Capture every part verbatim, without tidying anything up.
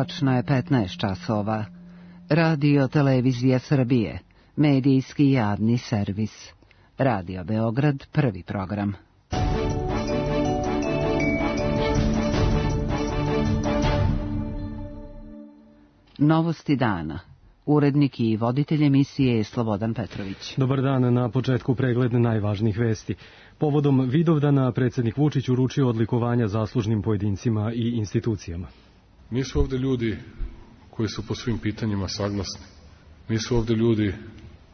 Tačno je petnaest časova. Radio Televizija Srbije, medijski javni servis. Radio Beograd, prvi program. Novosti dana. Urednik i voditelj emisije je Slobodan Petrović. Dobar dan, na početku pregled najvažnijih vesti. Povodom Vidovdana predsjednik Vučić uručio odlikovanja zaslužnim pojedincima i institucijama. Nisu ovde ljudi koji su po svim pitanjima saglasni. Nisu ovde ljudi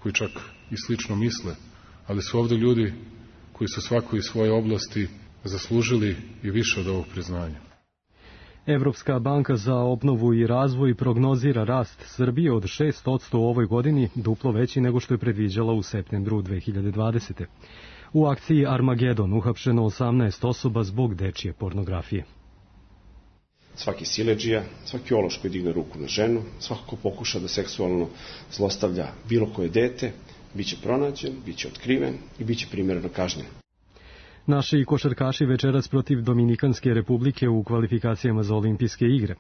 koji čak i slično misle, ali su ovde ljudi koji su svako iz svoje oblasti zaslužili i više od ovog priznanja. Evropska banka za obnovu i razvoj prognozira rast Srbije od šest posto u ovoj godini, duplo veći nego što je predviđala u septembru dve hiljade dvadesete. U akciji Armagedon uhapšeno osamnaest osoba zbog dečije pornografije. Svaki siledžija, svaki ološ koji digne ruku na ženu, svako ko pokuša da seksualno zlostavlja bilo koje dete, bit će pronađen, bit će otkriven i bit će primereno kažnjen. Naši košarkaši večeras protiv Dominikanske republike u kvalifikacijama za olimpijske igre.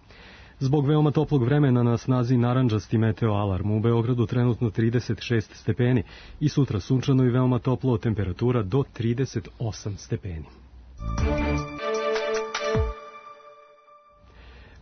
Zbog veoma toplog vremena na snazi narandžasti meteo alarm, u Beogradu trenutno trideset šest stepeni i sutra sunčano i veoma toplo, temperatura do trideset osam stepeni.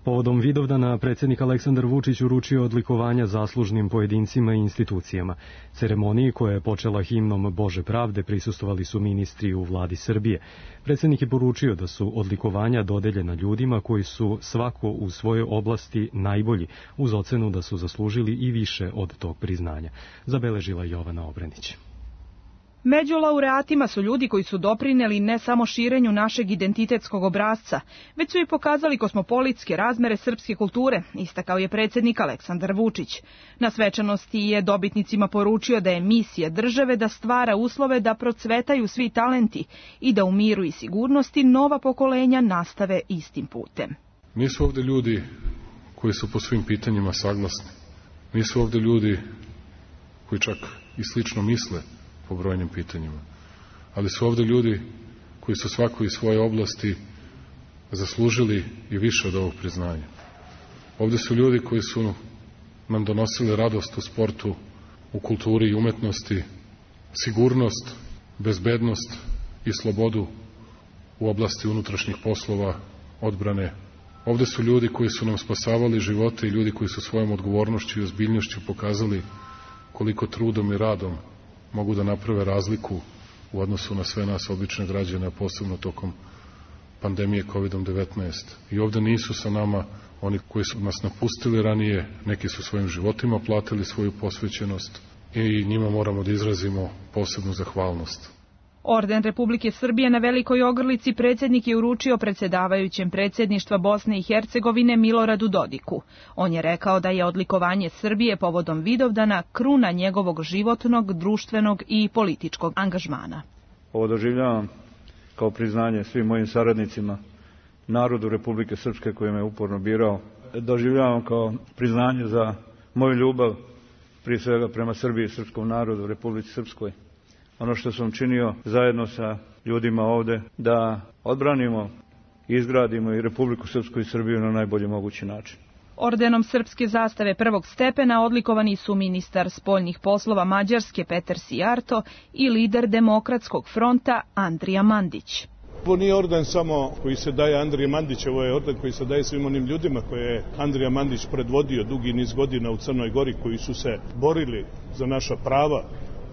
Povodom Vidovdana predsjednik Aleksandar Vučić uručio odlikovanja zaslužnim pojedincima i institucijama. Ceremoniji koja je počela himnom Bože pravde prisustvovali su ministri u vladi Srbije. Predsjednik je poručio da su odlikovanja dodeljena ljudima koji su svako u svojoj oblasti najbolji, uz ocenu da su zaslužili i više od tog priznanja. Zabeležila Jovana Obrenić. Među laureatima su ljudi koji su doprineli ne samo širenju našeg identitetskog obrasca, već su i pokazali kosmopolitske razmere srpske kulture, istakao je predsjednik Aleksandar Vučić. Na svečanosti je dobitnicima poručio da je misija države da stvara uslove da procvetaju svi talenti i da u miru i sigurnosti nova pokolenja nastave istim putem. Nisu ovde ljudi koji su po svim pitanjima saglasni. Nisu ovde ljudi koji čak i slično misle po brojnim pitanjima. Ali su ovde ljudi koji su svako iz svoje oblasti zaslužili i više od ovog priznanja. Ovde su ljudi koji su nam donosili radost u sportu, u kulturi i umetnosti, sigurnost, bezbednost i slobodu u oblasti unutrašnjih poslova, odbrane. Ovde su ljudi koji su nam spasavali živote i ljudi koji su svojom odgovornošću i ozbiljnošću pokazali koliko trudom i radom mogu da naprave razliku u odnosu na sve nas obične građane, a posebno tokom pandemije kovid devetnaest. I ovde nisu sa nama oni koji su nas napustili ranije, neki su svojim životima platili svoju posvećenost i njima moramo da izrazimo posebnu zahvalnost. Orden Republike Srbije na Velikoj Ogrlici predsjednik je uručio predsjedavajućem predsjedništva Bosne i Hercegovine Miloradu Dodiku. On je rekao da je odlikovanje Srbije povodom Vidovdana kruna njegovog životnog, društvenog i političkog angažmana. Ovo doživljavam kao priznanje svim mojim saradnicima, narodu Republike Srpske koji me uporno birao. Doživljavam kao priznanje za moju ljubav, prije svega prema Srbiji i srpskom narodu, Republici Srpskoj. Ono što sam činio zajedno sa ljudima ovde, da odbranimo, izgradimo i Republiku Srpsku i Srbiju na najbolji mogući način. Ordenom srpske zastave prvog stepena odlikovani su ministar spoljnih poslova Mađarske Petar Sijarto i lider Demokratskog fronta Andrija Mandić. Ovo nije orden samo koji se daje Andriji Mandić, ovo je orden koji se daje svim onim ljudima koje je Andrija Mandić predvodio dugi niz godina u Crnoj Gori, koji su se borili za naša prava.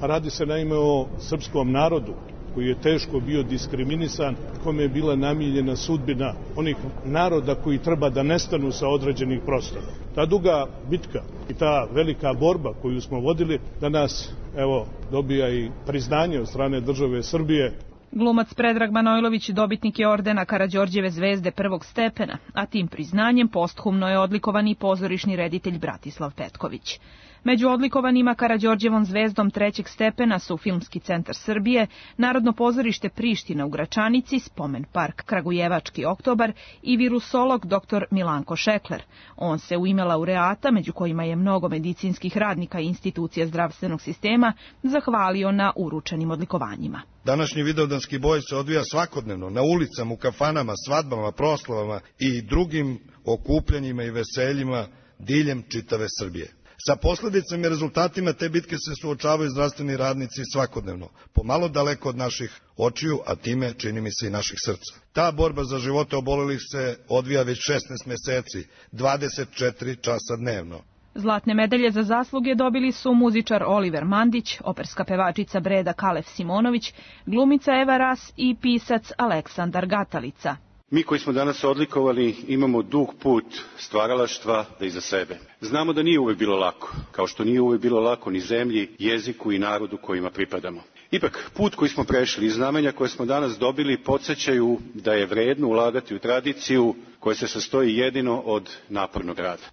Radi se naime o srpskom narodu koji je teško bio diskriminisan, kome je bila namijenjena sudbina onih naroda koji treba da nestanu sa određenih prostora. Ta duga bitka i ta velika borba koju smo vodili danas, evo, dobija i priznanje od strane države Srbije. Glumac Predrag Manojlović dobitnik je ordena Karađorđeve zvezde prvog stepena, a tim priznanjem posthumno je odlikovan i pozorišni reditelj Bratislav Petković. Među odlikovanima Karađorđevom zvezdom trećeg stepena su Filmski centar Srbije, Narodno pozorište Priština u Gračanici, Spomen park Kragujevački oktobar i virusolog doktor Milanko Šekler. On se u ime laureata, među kojima je mnogo medicinskih radnika i institucija zdravstvenog sistema, zahvalio na uručenim odlikovanjima. Današnji vidovdanski boj se odvija svakodnevno na ulicama, u kafanama, svadbama, proslavama i drugim okupljanjima i veseljima diljem čitave Srbije. Sa posledicama i rezultatima te bitke se suočavaju zdravstveni radnici svakodnevno, pomalo daleko od naših očiju, a time čini mi se i naših srca. Ta borba za živote obolelih se odvija već šesnaest meseci, dvadeset četiri časa dnevno. Zlatne medalje za zasluge dobili su muzičar Oliver Mandić, operska pevačica Breda Kalef Simonović, glumica Eva Ras i pisac Aleksandar Gatalica. Mi koji smo danas odlikovani imamo dug put stvaralaštva da iza sebe. Znamo da nije uvek bilo lako, kao što nije uvek bilo lako ni zemlji, jeziku i narodu kojima pripadamo. Ipak, put koji smo prešli i znamenja koje smo danas dobili podsjećaju da je vredno ulagati u tradiciju koja se sastoji jedino od napornog rada.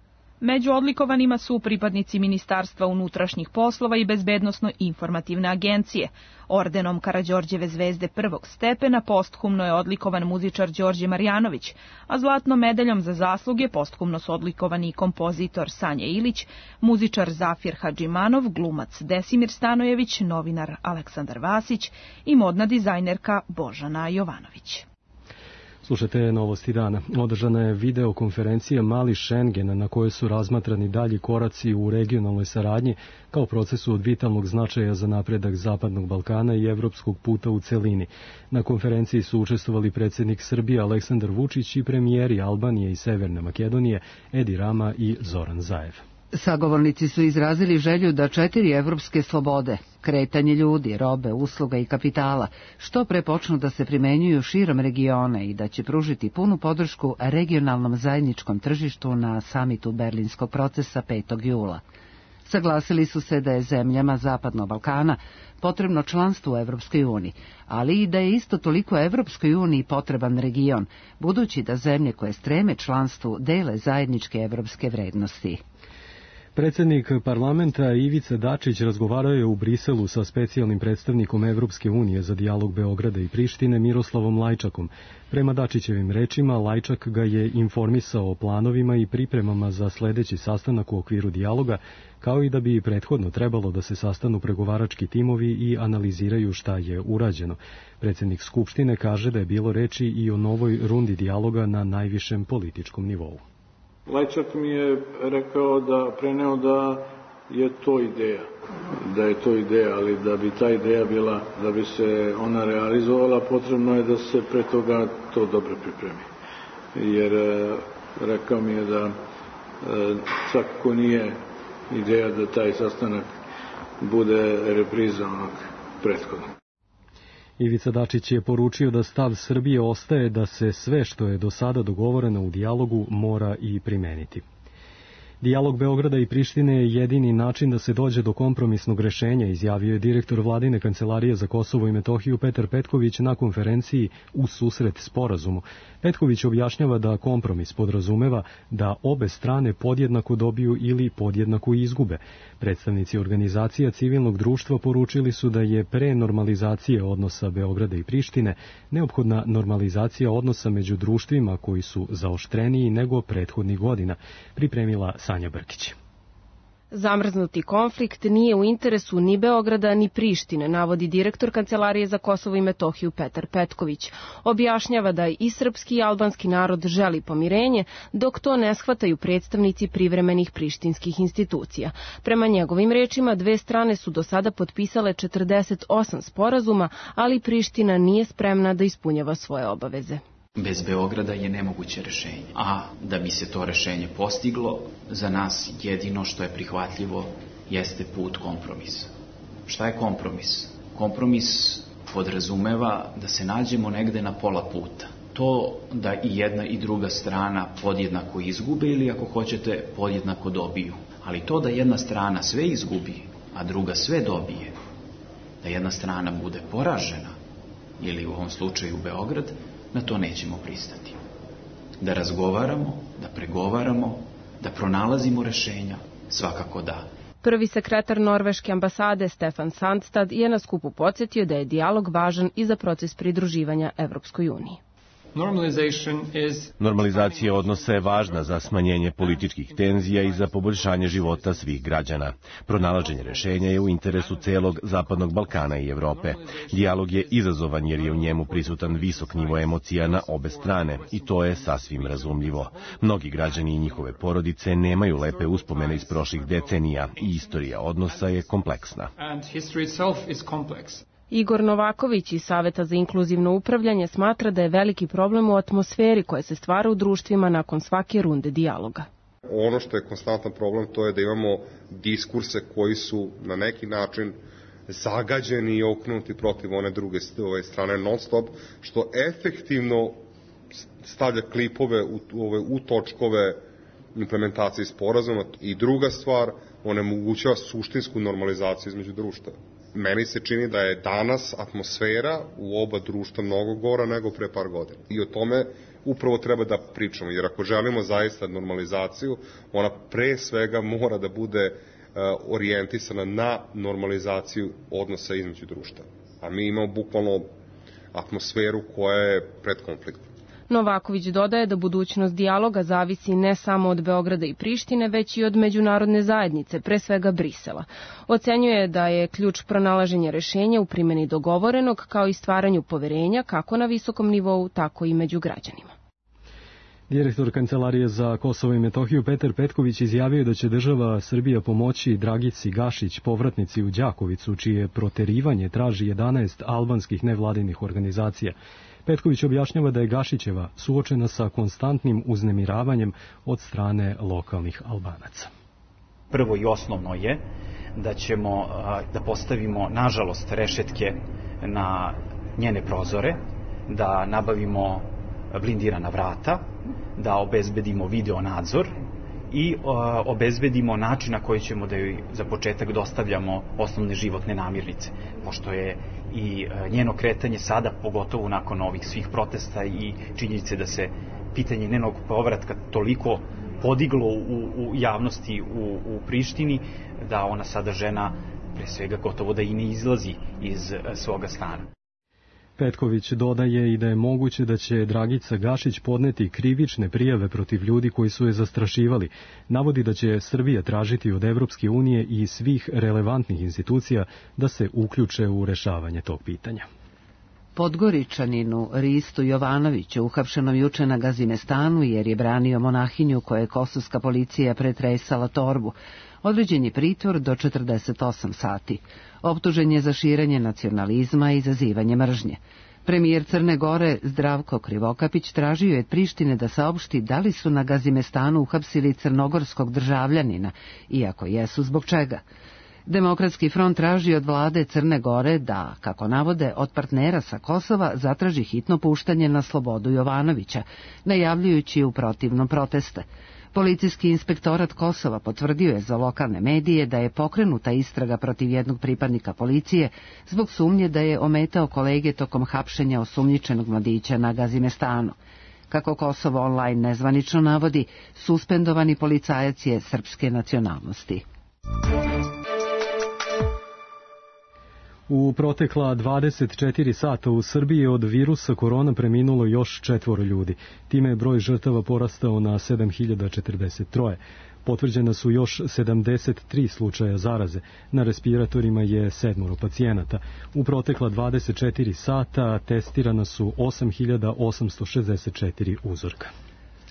Među odlikovanima su pripadnici Ministarstva unutrašnjih poslova i Bezbednosno-informativne agencije. Ordenom Karađorđeve zvezde prvog stepena posthumno je odlikovan muzičar Đorđe Marjanović, a zlatnom medaljom za zasluge posthumno su odlikovani kompozitor Sanja Ilić, muzičar Zafir Hadžimanov, glumac Desimir Stanojević, novinar Aleksandar Vasić i modna dizajnerka Božana Jovanović. Slušajte novosti dana. Održana je videokonferencija Mali Šengen na kojoj su razmatrani dalji koraci u regionalnoj saradnji kao procesu od vitalnog značaja za napredak Zapadnog Balkana i evropskog puta u celini. Na konferenciji su učestvovali predsjednik Srbije Aleksandar Vučić i premijeri Albanije i Severne Makedonije Edi Rama i Zoran Zaev. Sagovornici su izrazili želju da četiri evropske slobode, kretanje ljudi, robe, usluga i kapitala, što pre počnu da se primenjuju širom regiona i da će pružiti punu podršku regionalnom zajedničkom tržištu na samitu Berlinskog procesa petog jula. Saglasili su se da je zemljama Zapadnog Balkana potrebno članstvo u Evropskoj uniji, ali i da je isto toliko Evropskoj uniji potreban region, budući da zemlje koje streme članstvu dele zajedničke evropske vrednosti. Predsjednik parlamenta Ivica Dačić razgovarao je u Briselu sa specijalnim predstavnikom Evropske unije za dijalog Beograda i Prištine Miroslavom Lajčakom. Prema Dačićevim rečima, Lajčak ga je informisao o planovima i pripremama za sledeći sastanak u okviru dijaloga, kao i da bi prethodno trebalo da se sastanu pregovarački timovi i analiziraju šta je urađeno. Predsjednik Skupštine kaže da je bilo reči i o novoj rundi dijaloga na najvišem političkom nivou. Lajčak mi je rekao da preneo da je to ideja, da je to ideja, ali da bi ta ideja bila, da bi se ona realizovala, potrebno je da se pre toga to dobro pripremi. Jer rekao mi je da svakako nije ideja da taj sastanak bude repriza onog prethodnog. Ivica Dačić je poručio da stav Srbije ostaje da se sve što je do sada dogovoreno u dijalogu mora i primeniti. Dijalog Beograda i Prištine je jedini način da se dođe do kompromisnog rešenja, izjavio je direktor Vladine kancelarije za Kosovo i Metohiju Petar Petković na konferenciji U susret sporazumu. Petković objašnjava da kompromis podrazumeva da obe strane podjednako dobiju ili podjednako izgube. Predstavnici organizacija civilnog društva poručili su da je pre normalizacije odnosa Beograda i Prištine neophodna normalizacija odnosa među društvima koji su zaoštreniji nego prethodnih godina, pripremila Sanja Brkić. Zamrznuti konflikt nije u interesu ni Beograda ni Prištine, navodi direktor Kancelarije za Kosovo i Metohiju Petar Petković. Objašnjava da i srpski i albanski narod želi pomirenje, dok to ne shvataju predstavnici privremenih prištinskih institucija. Prema njegovim rečima, dve strane su do sada potpisale četrdeset osam sporazuma, ali Priština nije spremna da ispunjava svoje obaveze. Bez Beograda je nemoguće rešenje, a da bi se to rešenje postiglo, za nas jedino što je prihvatljivo jeste put kompromisa. Šta je kompromis? Kompromis podrazumeva da se nađemo negde na pola puta. To da i jedna i druga strana podjednako izgube ili ako hoćete podjednako dobiju. Ali to da jedna strana sve izgubi, a druga sve dobije, da jedna strana bude poražena, ili u ovom slučaju Beograd, na to nećemo pristati. Da razgovaramo, da pregovaramo, da pronalazimo rešenja, svakako da. Prvi sekretar Norveške ambasade Stefan Sandstad je na skupu podsjetio da je dijalog važan i za proces pridruživanja Evropskoj uniji. Normalizacija odnosa je važna za smanjenje političkih tenzija i za poboljšanje života svih građana. Pronalaženje rešenja je u interesu celog Zapadnog Balkana i Evrope. Dijalog je izazovan jer je u njemu prisutan visok nivo emocija na obe strane i to je sasvim razumljivo. Mnogi građani i njihove porodice nemaju lepe uspomene iz prošlih decenija i istorija odnosa je kompleksna. Igor Novaković iz Saveta za inkluzivno upravljanje smatra da je veliki problem u atmosferi koja se stvara u društvima nakon svake runde dijaloga. Ono što je konstantan problem to je da imamo diskurse koji su na neki način zagađeni i okrenuti protiv one druge strane non stop, što efektivno stavlja klipove u, ove, u točkove implementacije sporazuma. I druga stvar, onemogućava suštinsku normalizaciju između društva. Meni se čini da je danas atmosfera u oba društva mnogo gora nego pre par godina. I o tome upravo treba da pričamo, jer ako želimo zaista normalizaciju, ona pre svega mora da bude uh, orijentisana na normalizaciju odnosa između društva. A mi imamo bukvalno atmosferu koja je pred konfliktom. Novaković dodaje da budućnost dijaloga zavisi ne samo od Beograda i Prištine, već i od međunarodne zajednice, pre svega Brisela. Ocenjuje da je ključ pronalaženja rešenja u primjeni dogovorenog, kao i stvaranju poverenja kako na visokom nivou, tako i među građanima. Direktor Kancelarije za Kosovo i Metohiju Petar Petković izjavio da će država Srbija pomoći Dragici Gašić, povratnici u Đakovicu, čije proterivanje traži jedanaest albanskih nevladinih organizacija. Petković objašnjava da je Gašićeva suočena sa konstantnim uznemiravanjem od strane lokalnih Albanaca. Prvo i osnovno je da ćemo da postavimo, nažalost, rešetke na njene prozore, da nabavimo blindirana vrata, da obezbedimo video nadzor i obezbedimo način na koji ćemo da joj za početak dostavljamo osnovne životne namirnice, pošto je i njeno kretanje sada, pogotovo nakon ovih svih protesta i činjenice da se pitanje njenog povratka toliko podiglo u, u javnosti u, u Prištini, da ona sada žena pre svega gotovo da i ne izlazi iz svoga stana. Petković dodaje i da je moguće da će Dragica Gašić podneti krivične prijave protiv ljudi koji su je zastrašivali. Navodi da će Srbija tražiti od Evropske unije i svih relevantnih institucija da se uključe u rešavanje tog pitanja. Podgoričaninu Ristu Jovanoviću, uhapšenom juče na Gazimestanu jer je branio monahinju koje je kosovska policija pretresala torbu, određen je pritvor do četrdeset osam sati. Optužen je za širenje nacionalizma i izazivanje mržnje. Premijer Crne Gore Zdravko Krivokapić tražio je od Prištine da saopšti da li su na Gazimestanu uhapsili crnogorskog državljanina, iako jesu, zbog čega. Demokratski front traži od vlade Crne Gore da, kako navode, od partnera sa Kosova zatraži hitno puštanje na slobodu Jovanovića, najavljujući u protivnom proteste. Policijski inspektorat Kosova potvrdio je za lokalne medije da je pokrenuta istraga protiv jednog pripadnika policije zbog sumnje da je ometao kolege tokom hapšenja osumnjičenog mladića na Gazimestanu. Kako Kosovo online nezvanično navodi, suspendovani policajac je srpske nacionalnosti. U protekla dvadeset četiri sata u Srbiji od virusa korona preminulo još četvoro ljudi. Time je broj žrtava porastao na sedam hiljada četrdeset tri. Potvrđena su još sedamdeset tri slučaja zaraze. Na respiratorima je sedmoro pacijenata. U protekla dvadeset četiri sata testirana su osam hiljada osamsto šezdeset četiri uzorka.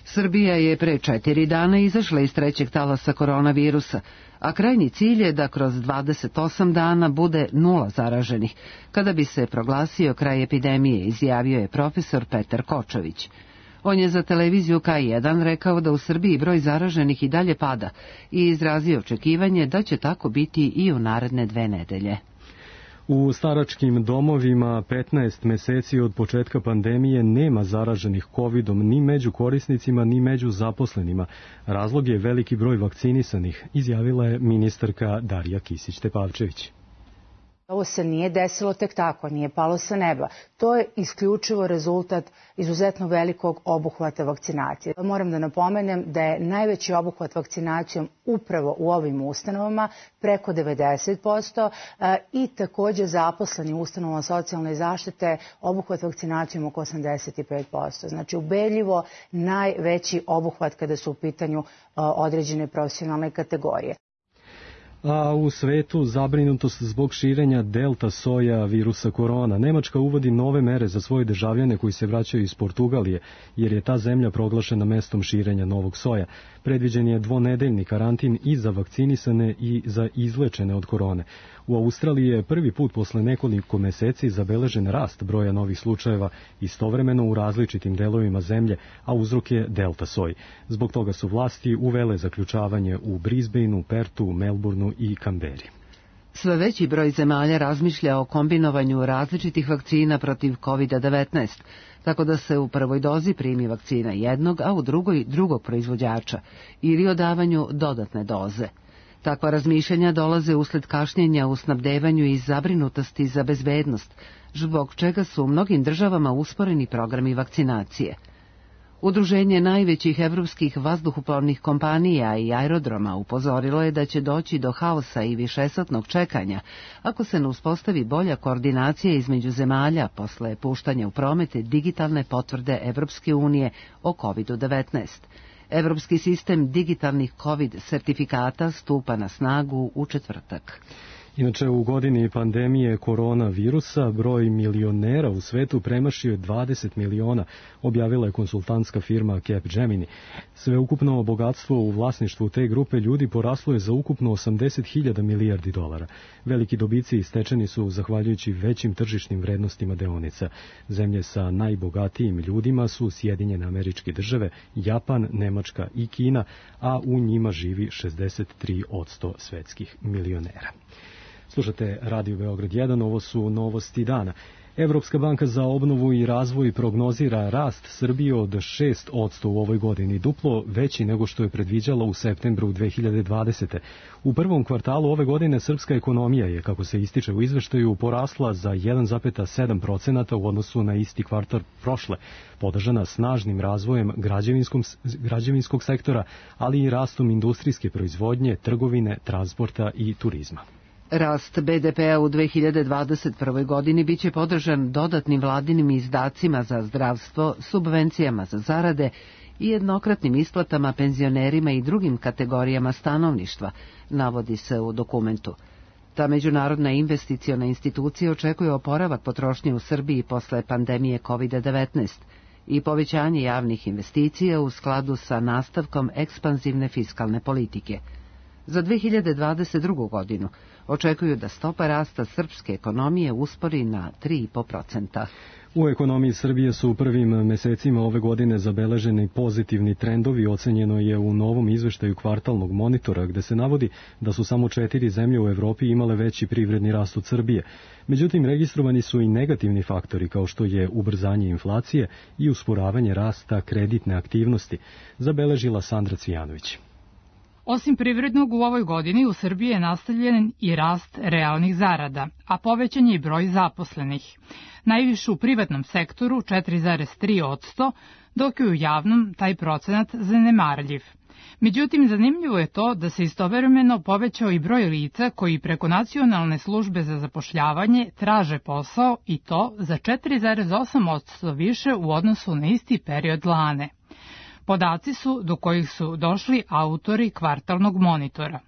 Srbija je pre četiri dana izašla iz trećeg talasa koronavirusa, a krajnji cilj je da kroz dvadeset osam dana bude nula zaraženih, kada bi se proglasio kraj epidemije, izjavio je profesor Petar Kočović. On je za televiziju K jedan rekao da u Srbiji broj zaraženih i dalje pada i izrazio očekivanje da će tako biti i u naredne dve nedelje. U staračkim domovima petnaest meseci od početka pandemije nema zaraženih kovidom ni među korisnicima ni među zaposlenima. Razlog je veliki broj vakcinisanih, izjavila je ministarka Darija Kisić Tepavčević. Ovo se nije desilo tek tako, nije palo sa neba. To je isključivo rezultat izuzetno velikog obuhvata vakcinacije. Moram da napomenem da je najveći obuhvat vakcinacijom upravo u ovim ustanovama, preko devedeset posto, i takođe zaposleni u ustanovama socijalne zaštite obuhvat vakcinacijom oko osamdeset pet posto. Znači ubedljivo najveći obuhvat kada su u pitanju određene profesionalne kategorije. A u svetu zabrinutost zbog širenja delta soja virusa korona. Nemačka uvodi nove mere za svoje državljane koji se vraćaju iz Portugalije, jer je ta zemlja proglašena mestom širenja novog soja. Predviđen je dvonedeljni karantin i za vakcinisane i za izlečene od korone. U Australiji je prvi put posle nekoliko meseci zabeležen rast broja novih slučajeva istovremeno u različitim delovima zemlje, a uzrok je delta soj. Zbog toga su vlasti uvele zaključavanje u Brisbaneu, Pertu, Melbourneu i Kamberi. Sve veći broj zemalja razmišlja o kombinovanju različitih vakcina protiv kovid devetnaest, tako da se u prvoj dozi primi vakcina jednog, a u drugoj drugog proizvođača, ili o davanju dodatne doze. Takva razmišljanja dolaze usled kašnjenja u snabdevanju i zabrinutosti za bezbednost, zbog čega su u mnogim državama usporeni programi vakcinacije. Udruženje najvećih evropskih vazduhoplovnih kompanija i aerodroma upozorilo je da će doći do haosa i višesatnog čekanja ako se ne uspostavi bolja koordinacija između zemalja posle puštanja u promete digitalne potvrde Evropske unije o kovid devetnaest. Evropski sistem digitalnih COVID sertifikata stupa na snagu u četvrtak. Inače, u godini pandemije koronavirusa broj milionera u svetu premašio je dvadeset miliona, objavila je konsultantska firma Capgemini. Sveukupno bogatstvo u vlasništvu te grupe ljudi poraslo je za ukupno osamdeset hiljada milijardi dolara. Veliki dobici istečeni su zahvaljujući većim tržišnim vrednostima deonica. Zemlje sa najbogatijim ljudima su Sjedinjene Američke Države, Japan, Nemačka i Kina, a u njima živi šezdeset tri posto svetskih milionera. Slušate Radio Beograd jedan, ovo su novosti dana. Evropska banka za obnovu i razvoj prognozira rast Srbije od šest posto u ovoj godini, duplo veći nego što je predviđala u septembru dve hiljade dvadesete. U prvom kvartalu ove godine srpska ekonomija je, kako se ističe u izveštaju, porasla za jedan zarez sedam posto u odnosu na isti kvartal prošle, podržana snažnim razvojem građevinskog sektora, ali i rastom industrijske proizvodnje, trgovine, transporta i turizma. Rast be de pe-a u dve hiljade dvadeset prvoj godini biće podržan dodatnim vladinim izdacima za zdravstvo, subvencijama za zarade i jednokratnim isplatama penzionerima i drugim kategorijama stanovništva, navodi se u dokumentu. Ta međunarodna investiciona institucija očekuje oporavak potrošnje u Srbiji posle pandemije kovid devetnaest i povećanje javnih investicija u skladu sa nastavkom ekspanzivne fiskalne politike. Za dve hiljade dvadeset drugu. godinu očekuju da stopa rasta srpske ekonomije uspori na tri zarez pet posto. U ekonomiji Srbije su u prvim mesecima ove godine zabeleženi pozitivni trendovi, ocenjeno je u novom izveštaju kvartalnog monitora, gde se navodi da su samo četiri zemlje u Evropi imale veći privredni rast od Srbije. Međutim, registrovani su i negativni faktori, kao što je ubrzanje inflacije i usporavanje rasta kreditne aktivnosti, zabeležila Sandra Cvijanović. Osim privrednog, u ovoj godini u Srbiji je nastavljen i rast realnih zarada, a povećan je i broj zaposlenih. Najviše u privatnom sektoru četiri zarez tri posto, dok je u javnom taj procenat zanemarljiv. Međutim, zanimljivo je to da se istovremeno povećao i broj lica koji preko nacionalne službe za zapošljavanje traže posao, i to za četiri zarez osam posto više u odnosu na isti period lane. Podaci su do kojih su došli autori kvartalnog monitora.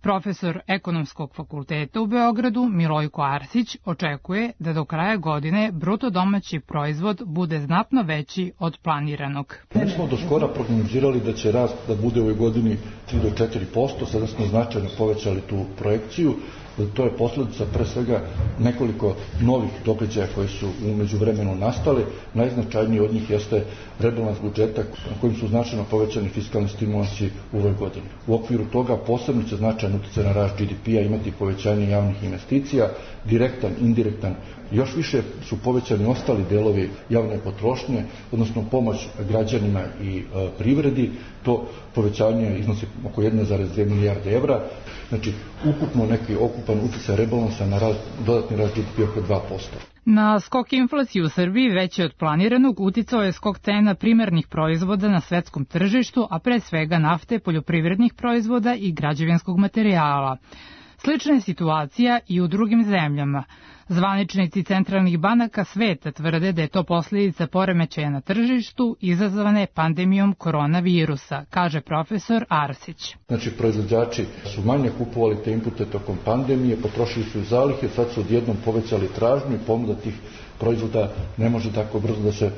Profesor Ekonomskog fakulteta u Beogradu Milojko Arsić očekuje da do kraja godine bruto domaći proizvod bude znatno veći od planiranog. Mi smo do skora prognozirali da će rast da bude u ovoj godini tri do četiri posto, sada smo značajno povećali tu projekciju. To je posledica pre svega nekoliko novih događaja koji su u međuvremenu nastali. Najznačajniji od njih jeste rebalans budžeta kojim su značajno povećani fiskalni stimulansi u ovoj godini. U okviru toga posebno će značajno utjecaj na rast G D P-a, imati povećanje javnih investicija, direktan, indirektan. Još više su povećani ostali delovi javne potrošnje, odnosno pomoć građanima i e, privredi. To povećanje iznosi oko jedne zarez dve milijarde evra. Znači, ukupno neki okupan utjecaj rebalansa na rast, dodatni rast G D P oko dva posto. Na skok inflacije u Srbiji veći od planiranog uticao je skok cena primarnih proizvoda na svetskom tržištu, a pre svega nafte, poljoprivrednih proizvoda i građevinskog materijala. Slična je situacija i u drugim zemljama. Zvaničnici centralnih banaka sveta tvrde da je to posljedica poremećaja na tržištu izazvane pandemijom koronavirusa, kaže profesor Arsić. Znači, proizvođači su manje kupovali te inpute tokom pandemije, potrošili su zalihe, sad su odjednom povećali tražnju i ponuda tih proizvoda ne može tako brzo da se e,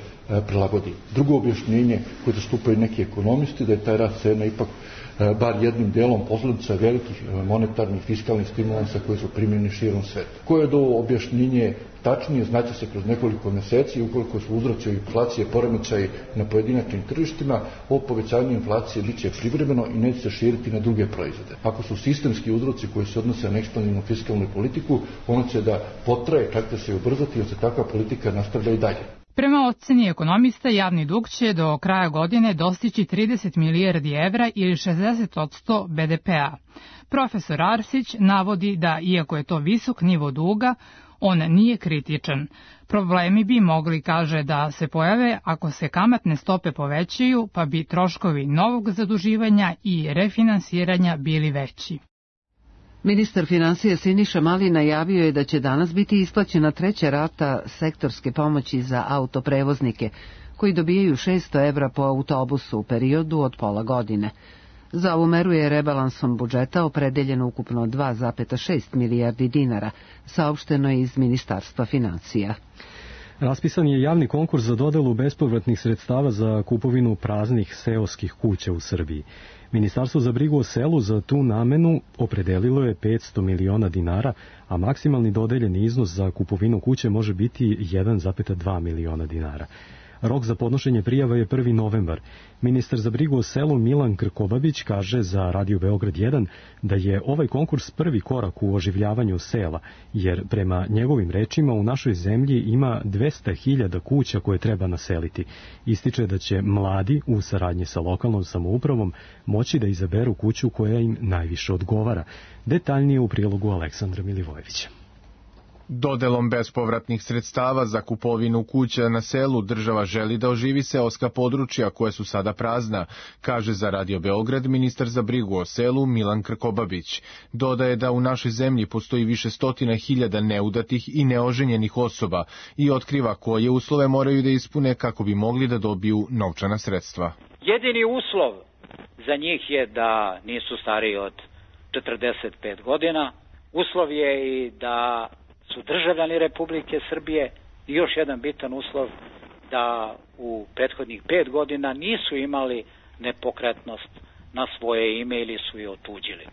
prilagodi. Drugo objašnjenje koje zastupaju neki ekonomisti da je taj rast cena ipak e, bar jednim delom posljedica velikih monetarnih fiskalnih stimulansa koji su primjeni širom sveta. Koje je do objašnjenje tačnije znaće se kroz nekoliko mjeseci, ukoliko su uzroci inflacije poremećaji na pojedinačnim tržištima, ovo povećanje inflacije bit će privremeno i neće se širiti na druge proizvode. Ako su sistemski uzroci koji se odnose na ekspanzivnu fiskalnu politiku, ono će da potraje, čak da se ubrzati, jer se takva politika nastavlja i dalje. Prema oceni ekonomista, javni dug će do kraja godine dostići trideset milijardi evra ili šezdeset posto B D P-a. Profesor Arsić navodi da, iako je to visok nivo duga, on nije kritičan. Problemi bi mogli, kaže, da se pojave ako se kamatne stope povećaju, pa bi troškovi novog zaduživanja i refinansiranja bili veći. Ministar finansija Siniša Mali najavio je da će danas biti isplaćena treća rata sektorske pomoći za autoprevoznike, koji dobijaju šesto evra po autobusu u periodu od pola godine. Za ovu meru je rebalansom budžeta opredeljeno ukupno dva zarez šest milijardi dinara, saopšteno je iz Ministarstva finansija. Raspisan je javni konkurs za dodelu bespovratnih sredstava za kupovinu praznih seoskih kuća u Srbiji. Ministarstvo za brigu o selu za tu namenu opredelilo je petsto miliona dinara, a maksimalni dodeljeni iznos za kupovinu kuće može biti jedan zarez dva miliona dinara. Rok za podnošenje prijava je prvi novembar. Ministar za brigu o selu Milan Krkobabić kaže za Radio Beograd jedan da je ovaj konkurs prvi korak u oživljavanju sela, jer prema njegovim rečima u našoj zemlji ima dvesta hiljada kuća koje treba naseliti. Ističe da će mladi u saradnji sa lokalnom samoupravom moći da izaberu kuću koja im najviše odgovara. Detaljnije u prilogu Aleksandra Milivojevića. Dodelom bespovratnih sredstava za kupovinu kuća na selu država želi da oživi seoska područja koja su sada prazna, kaže za Radio Beograd ministar za brigu o selu Milan Krkobabić. Dodaje da u našoj zemlji postoji više stotina hiljada neudatih i neoženjenih osoba i otkriva koje uslove moraju da ispune kako bi mogli da dobiju novčana sredstva. Jedini uslov za njih je da nisu stariji od četrdeset pet godina. Uslov je i da su državljani Republike Srbije i još jedan bitan uslov da u prethodnih pet godina nisu imali nepokretnost na svoje ime ili su je otuđili.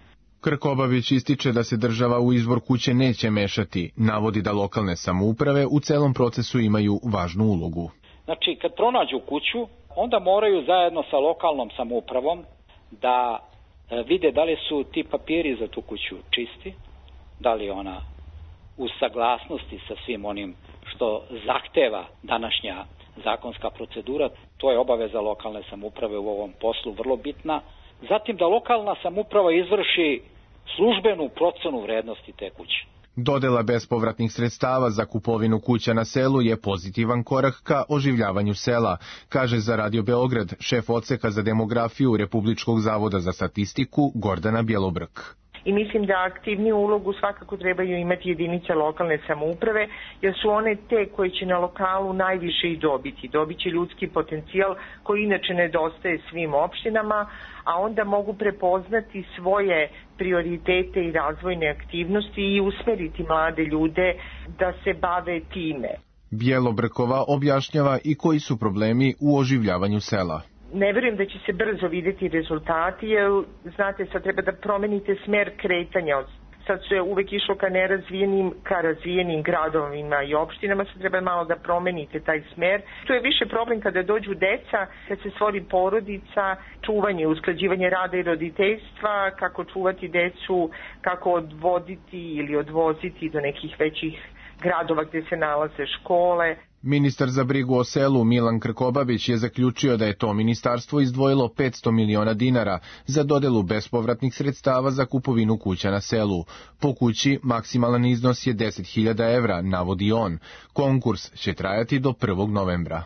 Krkobabić ističe da se država u izbor kuće neće mešati, navodi da lokalne samouprave u celom procesu imaju važnu ulogu. Znači, kad pronađu kuću, onda moraju zajedno sa lokalnom samoupravom da vide da li su ti papiri za tu kuću čisti, da li ona u saglasnosti sa svim onim što zahteva današnja zakonska procedura. To je obaveza lokalne samouprave u ovom poslu vrlo bitna. Zatim da lokalna samouprava izvrši službenu procenu vrednosti te kuće. Dodela bespovratnih sredstava za kupovinu kuća na selu je pozitivan korak ka oživljavanju sela, kaže za Radio Beograd šef odseka za demografiju Republičkog zavoda za statistiku Gordana Bjelobrk. I mislim da aktivniju ulogu svakako trebaju imati jedinice lokalne samouprave, jer su one te koje će na lokalu najviše i dobiti. Dobit će ljudski potencijal koji inače nedostaje svim opštinama, a onda mogu prepoznati svoje prioritete i razvojne aktivnosti i usmeriti mlade ljude da se bave time. Bjelobrkova objašnjava i koji su problemi u oživljavanju sela. Ne verujem da će se brzo videti rezultati, jer, znate, sad treba da promenite smer kretanja od sad se uvek išlo ka nerazvijenim, ka razvijenim gradovima i opštinama, sad treba malo da promenite taj smer. Tu je više problem kada dođu deca, kad se stvori porodica, čuvanje, usklađivanje rada i roditeljstva, kako čuvati decu, kako odvoditi ili odvoziti do nekih većih gradova gdje se nalaze škole. Ministar za brigu o selu Milan Krkobabić je zaključio da je to ministarstvo izdvojilo petsto miliona dinara za dodelu bespovratnih sredstava za kupovinu kuća na selu. Po kući maksimalan iznos je deset hiljada evra, navodi on. Konkurs će trajati do prvog novembra.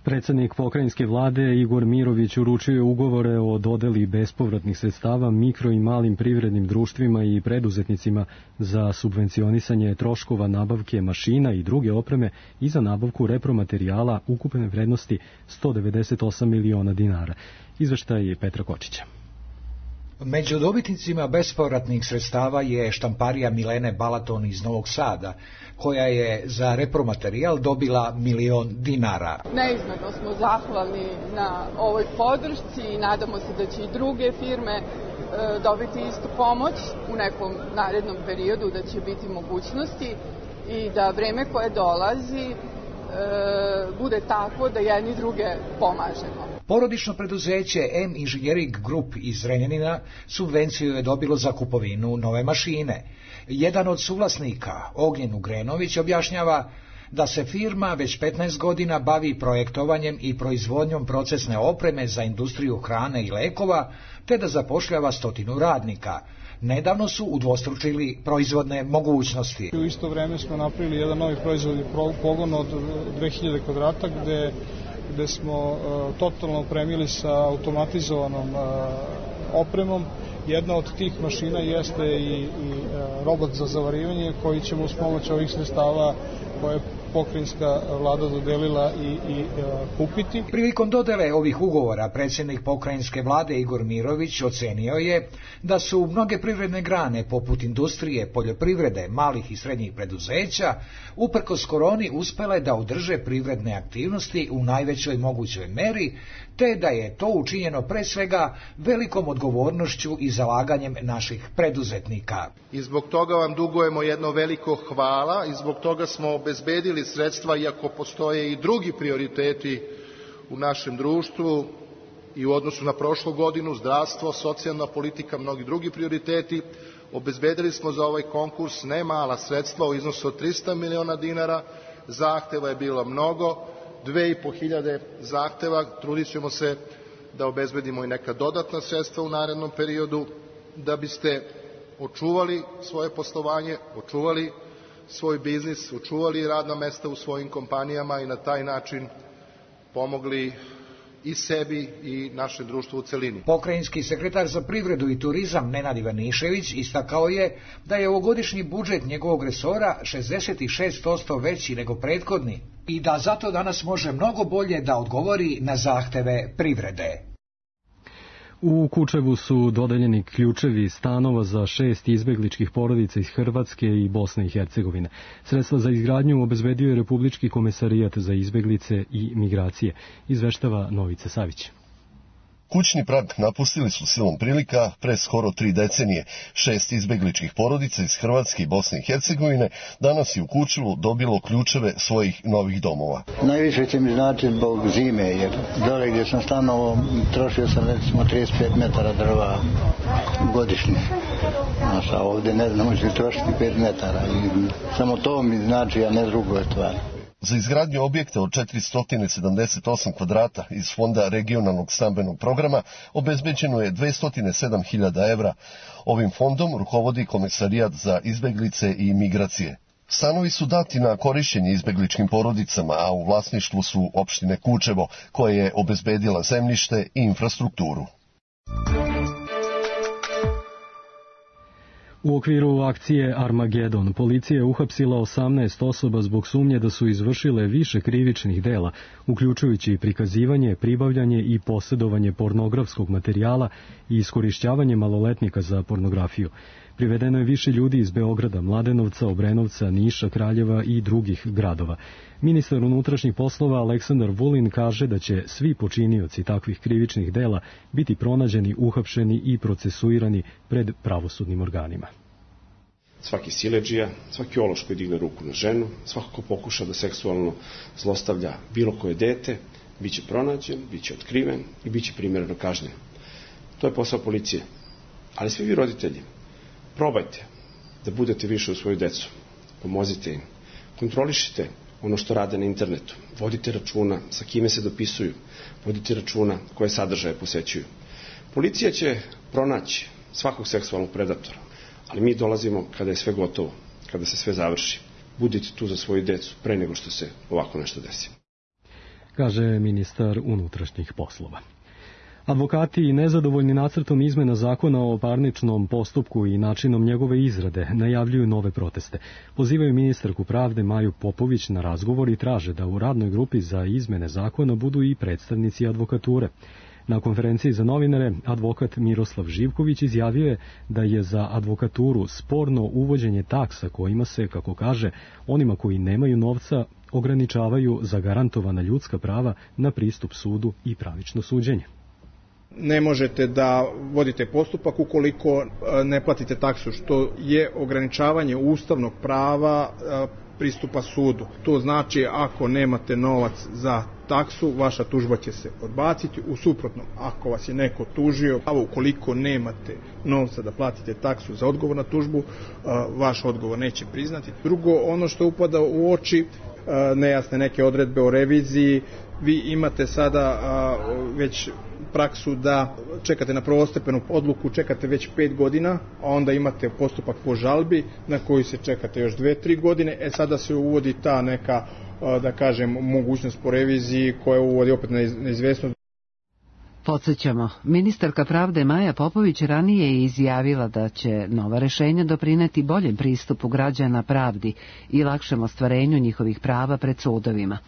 Predsednik pokrajinske vlade Igor Mirović uručio je ugovore o dodeli bespovratnih sredstava mikro i malim privrednim društvima i preduzetnicima za subvencionisanje troškova nabavke mašina i druge opreme i za nabavku repromaterijala ukupne vrednosti sto devedeset osam miliona dinara. Izveštaj Petra Kočića. Među dobitnicima bespovratnih sredstava je štamparija Milene Balaton iz Novog Sada, koja je za repromaterijal dobila milion dinara. Neizmerno smo zahvalni na ovoj podršci i nadamo se da će i druge firme e, dobiti istu pomoć u nekom narednom periodu, da će biti mogućnosti i da vreme koje dolazi e, bude takvo da jedni druge pomažemo. Porodično preduzeće M Engineering Group iz Zrenjanina subvenciju je dobilo za kupovinu nove mašine. Jedan od suvlasnika, Ognjen Ugrenović, objašnjava da se firma već petnaest godina bavi projektovanjem i proizvodnjom procesne opreme za industriju hrane i lekova, te da zapošljava stotinu radnika. Nedavno su udvostručili proizvodne mogućnosti. U isto vreme smo napravili jedan novi proizvodni pogon od dve hiljade kvadrata gde gde smo uh, totalno opremili sa automatizovanom uh, opremom. Jedna od tih mašina jeste i, i uh, robot za zavarivanje koji ćemo uz pomoć ovih sredstava koje pokrajinska vlada dodelila i, i uh, kupiti. Prilikom dodele ovih ugovora predsjednik pokrajinske vlade Igor Mirović ocenio je da su mnoge privredne grane poput industrije, poljoprivrede, malih i srednjih preduzeća uprkos koroni uspele da održe privredne aktivnosti u najvećoj mogućoj meri, te da je to učinjeno pre svega velikom odgovornošću i zalaganjem naših preduzetnika. I zbog toga vam dugujemo jedno veliko hvala i zbog toga smo obezbedili sredstva, iako postoje i drugi prioriteti u našem društvu i u odnosu na prošlu godinu, zdravstvo, socijalna politika, mnogi drugi prioriteti. Obezbedili smo za ovaj konkurs ne mala sredstva u iznosu od trista miliona dinara, zahteva je bilo mnogo, dve i po hiljade zahteva, trudit ćemo se da obezbedimo i neka dodatna sredstva u narednom periodu, da biste očuvali svoje poslovanje, očuvali svoj biznis, očuvali radna mesta u svojim kompanijama i na taj način pomogli i sebi i našem društvu u celini. Pokrajinski sekretar za privredu i turizam Nenad Ivanišević istakao je da je ovogodišnji budžet njegovog resora šezdeset šest posto veći nego prethodni i da zato danas može mnogo bolje da odgovori na zahteve privrede. U Kučevu su dodeljeni ključevi stanova za šest izbegličkih porodica iz Hrvatske i Bosne i Hercegovine. Sredstva za izgradnju obezbedio je Republički komesarijat za izbeglice i migracije, izveštava Novice Savić. Kućni prag napustili su silom prilika pre skoro tri decenije. Šest izbegličkih porodica iz Hrvatske i Bosne i Hercegovine danas je u Kučevu dobilo ključeve svojih novih domova. Najviše će mi znači zbog zime, jer dole gdje sam stanovao trošio sam recimo trideset pet metara drva godišnje. Znaš, a ovdje ne znam, možete trošiti pet metara. I samo to mi znači, a ne drugo je stvar. Za izgradnju objekta od četiristo sedamdeset osam kvadrata iz Fonda regionalnog stambenog programa obezbeđeno je dvesta sedam hiljada evra. Ovim fondom rukovodi Komesarijat za izbeglice i migracije. Stanovi su dati na korišćenje izbegličkim porodicama, a u vlasništvu su opštine Kučevo, koja je obezbedila zemljište i infrastrukturu. U okviru akcije Armagedon policija je uhapsila osamnaest osoba zbog sumnje da su izvršile više krivičnih dela, uključujući prikazivanje, pribavljanje i posjedovanje pornografskog materijala i iskorišćavanje maloletnika za pornografiju. Privedeno je više ljudi iz Beograda, Mladenovca, Obrenovca, Niša, Kraljeva i drugih gradova. Ministar unutrašnjih poslova Aleksandar Vulin kaže da će svi počinioci takvih krivičnih dela biti pronađeni, uhapšeni i procesuirani pred pravosudnim organima. Svaki siledžija, svaki ološ koji digne ruku na ženu, svako ko pokuša da seksualno zlostavlja bilo koje dete, bit će pronađen, bit će otkriven i bit će primjereno kažnjen. To je posao policije. Ali svi vi roditelji, probajte da budete više u svoju decu. Pomozite im. Kontrolišite ono što rade na internetu. Vodite računa sa kime se dopisuju. Vodite računa koje sadržaje posećuju. Policija će pronaći svakog seksualnog predatora, ali mi dolazimo kada je sve gotovo, kada se sve završi. Budite tu za svoju decu pre nego što se ovako nešto desi. Kaže ministar unutrašnjih poslova. Advokati nezadovoljni nacrtom izmena zakona o parničnom postupku i načinom njegove izrade najavljuju nove proteste. Pozivaju ministarku pravde Maju Popović na razgovor i traže da u radnoj grupi za izmene zakona budu i predstavnici advokature. Na konferenciji za novinare advokat Miroslav Živković izjavio je da je za advokaturu sporno uvođenje taksa kojima se, kako kaže, onima koji nemaju novca ograničavaju zagarantovana ljudska prava na pristup sudu i pravično suđenje. Ne možete da vodite postupak ukoliko ne platite taksu, što je ograničavanje ustavnog prava pristupa sudu. To znači ako nemate novac za taksu, vaša tužba će se odbaciti. U suprotnom, ako vas je neko tužio, a ukoliko nemate novca da platite taksu za odgovor na tužbu, vaš odgovor neće priznati. Drugo, ono što upada u oči, nejasne neke odredbe o reviziji. Vi imate sada već praksu da čekate na prvostepenu odluku, čekate već pet godina, a onda imate postupak po žalbi na koji se čekate još dve, tri godine. E sada se uvodi ta neka, da kažem, mogućnost po reviziji koja uvodi opet neizvesnost. Podsjećamo, ministarka pravde Maja Popović ranije je izjavila da će nova rešenja doprineti boljem pristupu građana pravdi i lakšem ostvarenju njihovih prava pred sudovima.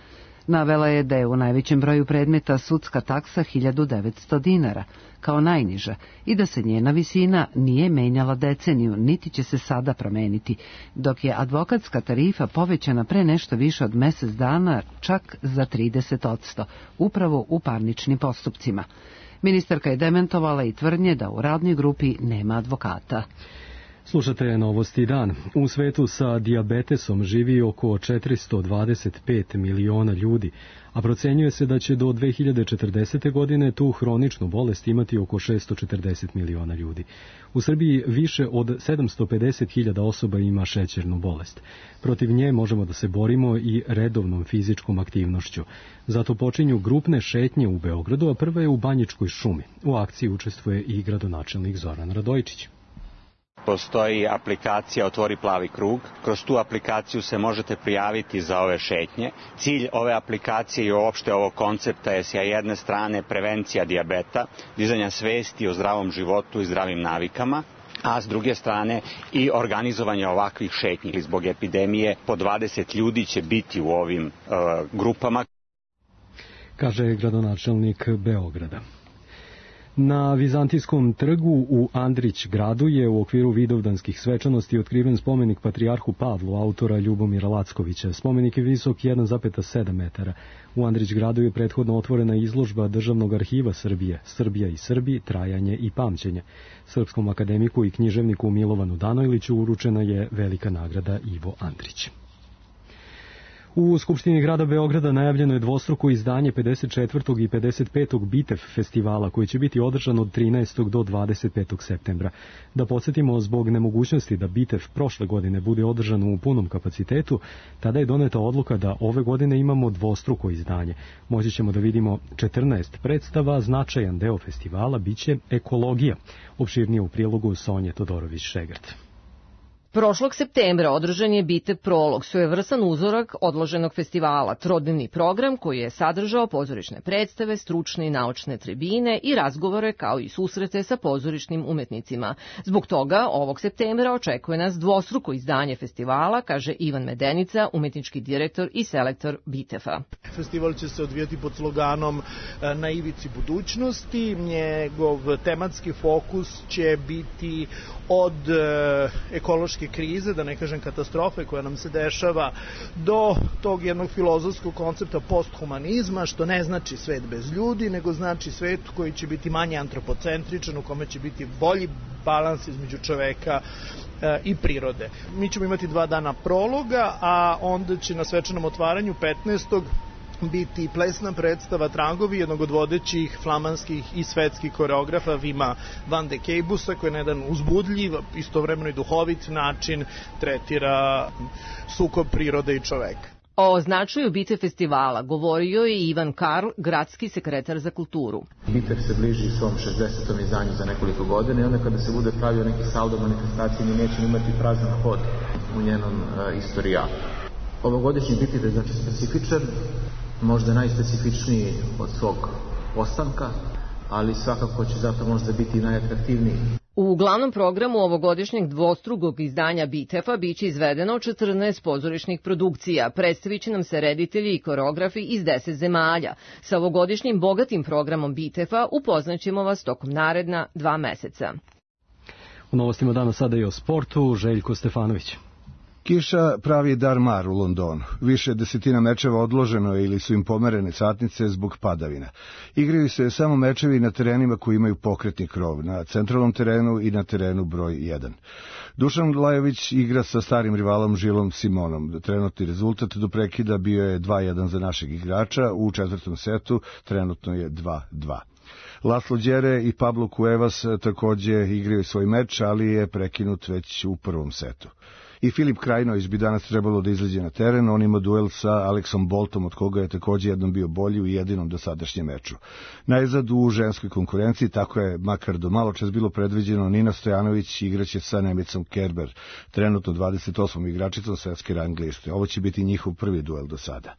Navela je da je u najvećem broju predmeta sudska taksa hiljadu devetsto dinara, kao najniža, i da se njena visina nije menjala deceniju, niti će se sada promeniti, dok je advokatska tarifa povećana pre nešto više od mesec dana čak za trideset posto, upravo u parničnim postupcima. Ministarka je dementovala i tvrdnje da u radnoj grupi nema advokata. Slušate Novosti dan. U svetu sa dijabetesom živi oko četiristo dvadeset pet miliona ljudi, a procenjuje se da će do dve hiljade četrdesete. godine tu hroničnu bolest imati oko šesto četrdeset miliona ljudi. U Srbiji više od sedamsto pedeset hiljada osoba ima šećernu bolest. Protiv nje možemo da se borimo i redovnom fizičkom aktivnošću. Zato počinju grupne šetnje u Beogradu, a prva je u Banjičkoj šumi. U akciji učestvuje i gradonačelnik Zoran Radojičić. Postoji aplikacija Otvori plavi krug. Kroz tu aplikaciju se možete prijaviti za ove šetnje. Cilj ove aplikacije i uopšte ovog koncepta je s jedne strane prevencija dijabeta, dizanja svesti o zdravom životu i zdravim navikama, a s druge strane i organizovanje ovakvih šetnji. Zbog epidemije po dvadeset ljudi će biti u ovim uh, grupama. Kaže gradonačelnik Beograda. Na Vizantijskom trgu u Andrić gradu je u okviru vidovdanskih svečanosti otkriven spomenik patrijarhu Pavlu, autora Ljubomira Lackovića. Spomenik je visok jedan zarez sedam metara. U Andrić gradu je prethodno otvorena izložba Državnog arhiva Srbije, Srbija i Srbi, trajanje i pamćenje. Srpskom akademiku i književniku Milovanu Danojliću uručena je velika nagrada Ivo Andrić. U Skupštini grada Beograda najavljeno je dvostruko izdanje pedeset četvrtog i pedeset petog Bitev festivala, koji će biti održan od trinaestog do dvadeset petog septembra. Da podsjetimo, zbog nemogućnosti da Bitev prošle godine bude održan u punom kapacitetu, tada je doneta odluka da ove godine imamo dvostruko izdanje. Moći ćemo da vidimo četrnaest predstava, značajan deo festivala biće ekologija. Opširnije u prilogu Sonje Todorović-Šegrt. Prošlog septembra održan je Bitev prolog, svojevrstan uzorak odloženog festivala, trodnevni program koji je sadržao pozorišne predstave, stručne i naučne tribine i razgovore kao i susrete sa pozorišnim umetnicima. Zbog toga ovog septembra očekuje nas dvostruko izdanje festivala, kaže Ivan Medenica, umetnički direktor i selektor Biteva. Festival će se odvijati pod sloganom Na ivici budućnosti. Njegov tematski fokus će biti od ekološke krize, da ne kažem katastrofe koja nam se dešava, do tog jednog filozofskog koncepta posthumanizma, što ne znači svet bez ljudi, nego znači svet koji će biti manje antropocentričan, u kome će biti bolji balans između čoveka i prirode. Mi ćemo imati dva dana prologa, a onda će na svečanom otvaranju petnaestog biti plesna predstava Tragovi jednog od vodećih flamanskih i svetskih koreografa Vima van de Keibusa, koji na jedan uzbudljiv, istovremeno i duhovit način tretira sukob prirode i čoveka. O značaju Bite festivala govorio je Ivan Karl, gradski sekretar za kulturu. Bitev se bliži svom šezdesetom izdanju za nekoliko godina i onda kada se bude pravio neki saldo manifestacije, mi nećemo imati prazan hod u njenom uh, istorijatu. Ovogodišnji Bitev je znači specifičan, možda najspecifičniji od svog postanka, ali svakako će zato možda biti najatraktivniji. U glavnom programu ovogodišnjeg dvostrukog izdanja Bitefa biće izvedeno četrnaest pozorišnih produkcija. Predstavit će nam se reditelji i koreografi iz deset zemalja. Sa ovogodišnjim bogatim programom Bitefa upoznaćemo vas tokom naredna dva meseca. U novostima danas sada i o sportu, Željko Stefanović. Kiša pravi dar mar u Londonu. Više desetina mečeva odloženo je ili su im pomerene satnice zbog padavina. Igraju se samo mečevi na terenima koji imaju pokretni krov, na centralnom terenu i na terenu broj jedan. Dušan Lajović igra sa starim rivalom Žilom Simonom. Trenutni rezultat do prekida bio je dva jedan za našeg igrača, u četvrtom setu trenutno je dva dva. Laslo Đere i Pablo Cuevas takođe igraju svoj meč, ali je prekinut već u prvom setu. I Filip Krajinović bi danas trebalo da izađe na teren, on ima duel sa Aleksom Boltom, od koga je takođe jednom bio bolji u jedinom dosadašnjem meču. Najzad u ženskoj konkurenciji, tako je makar do malo čas bilo predviđeno, Nina Stojanović igraće sa Nemicom Kerber, trenutno dvadeset osmom igračicom svetske rang liste. Ovo će biti njihov prvi duel do sada.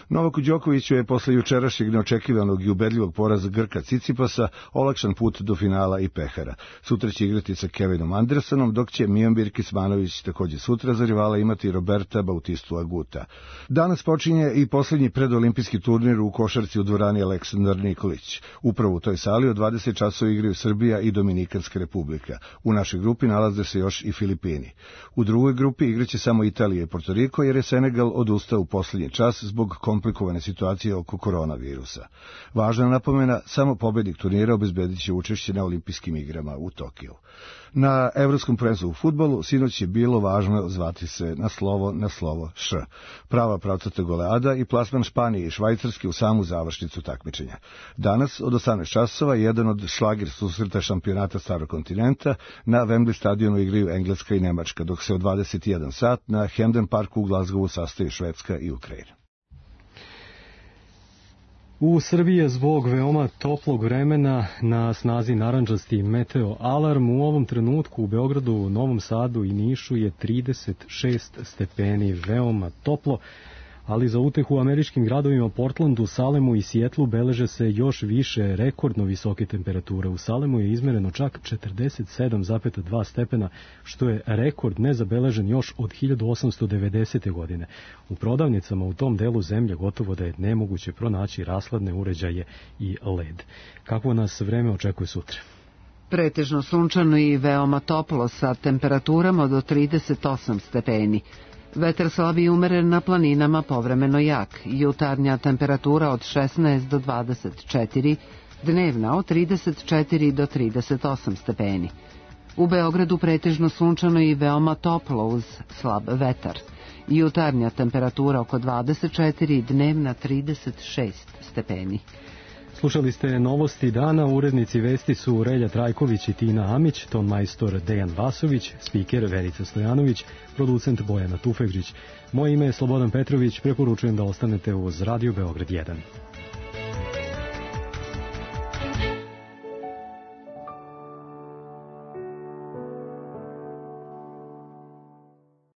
Novaku Đokoviću je posle jučerašnjeg neočekivanog i ubedljivog poraza Grka Cicipasa olakšan put do finala i pehara. Sutra će igrati sa Kevinom Andersonom, dok će Mijomir Kismanović takođe sutra za rivala imati Roberta Bautistu Aguta. Danas počinje i poslednji predolimpijski turnir u košarci u dvorani Aleksandar Nikolić. Upravo u toj sali od dvadeset časova igraju Srbija i Dominikanska republika. U našoj grupi nalaze se još i Filipini. U drugoj grupi igraće samo Italija i Porto Riko, jer je Senegal odustao u poslednji čas zbog komplikovane situacije oko koronavirusa. Važna napomena, samo pobednik turnira obezbedit će učešće na olimpijskim igrama u Tokiju. Na evropskom prvenstvu u fudbalu sinoć je bilo važno zvati se na slovo na slovo Š. Prava pravcata goleada i plasman Španije i Švajcarske u samu završnicu takmičenja. Danas od osamnaest časova jedan od šlagir susreta šampionata Starog kontinenta na Wembley stadionu igraju Engleska i Nemačka, dok se od dvadeset jedan sat na Hampden Parku u Glazgovu sastaju Švedska i Ukrajina. U Srbiji je zbog veoma toplog vremena na snazi narandžasti meteo alarm. U ovom trenutku u Beogradu, Novom Sadu i Nišu je trideset šest stepeni, veoma toplo, ali za utehu u američkim gradovima Portlandu, Salemu i Sijetlu beleže se još više rekordno visoke temperature. U Salemu je izmereno čak četrdeset sedam zarez dva stepena, što je rekord nezabeležen još od hiljadu osamsto devedesete. godine. U prodavnicama u tom delu zemlje gotovo da je nemoguće pronaći rashladne uređaje i led. Kako nas vreme očekuje sutra? Pretežno sunčano i veoma toplo sa temperaturama do trideset osam stepeni. Vetar slab i umeren na planinama, povremeno jak. Jutarnja temperatura od šesnaest do dvadeset četiri, dnevna od trideset četiri do trideset osam stepeni. U Beogradu pretežno sunčano i veoma toplo uz slab vetar. Jutarnja temperatura oko dvadeset četiri, dnevna trideset šest stepeni. Slušali ste novosti dana, urednici vesti su Relja Trajković i Tina Amić, ton majstor Dejan Vasović, spiker Verica Stojanović, producent Bojana Tufegđić. Moje ime je Slobodan Petrović, preporučujem da ostanete uz Radio Beograd jedan.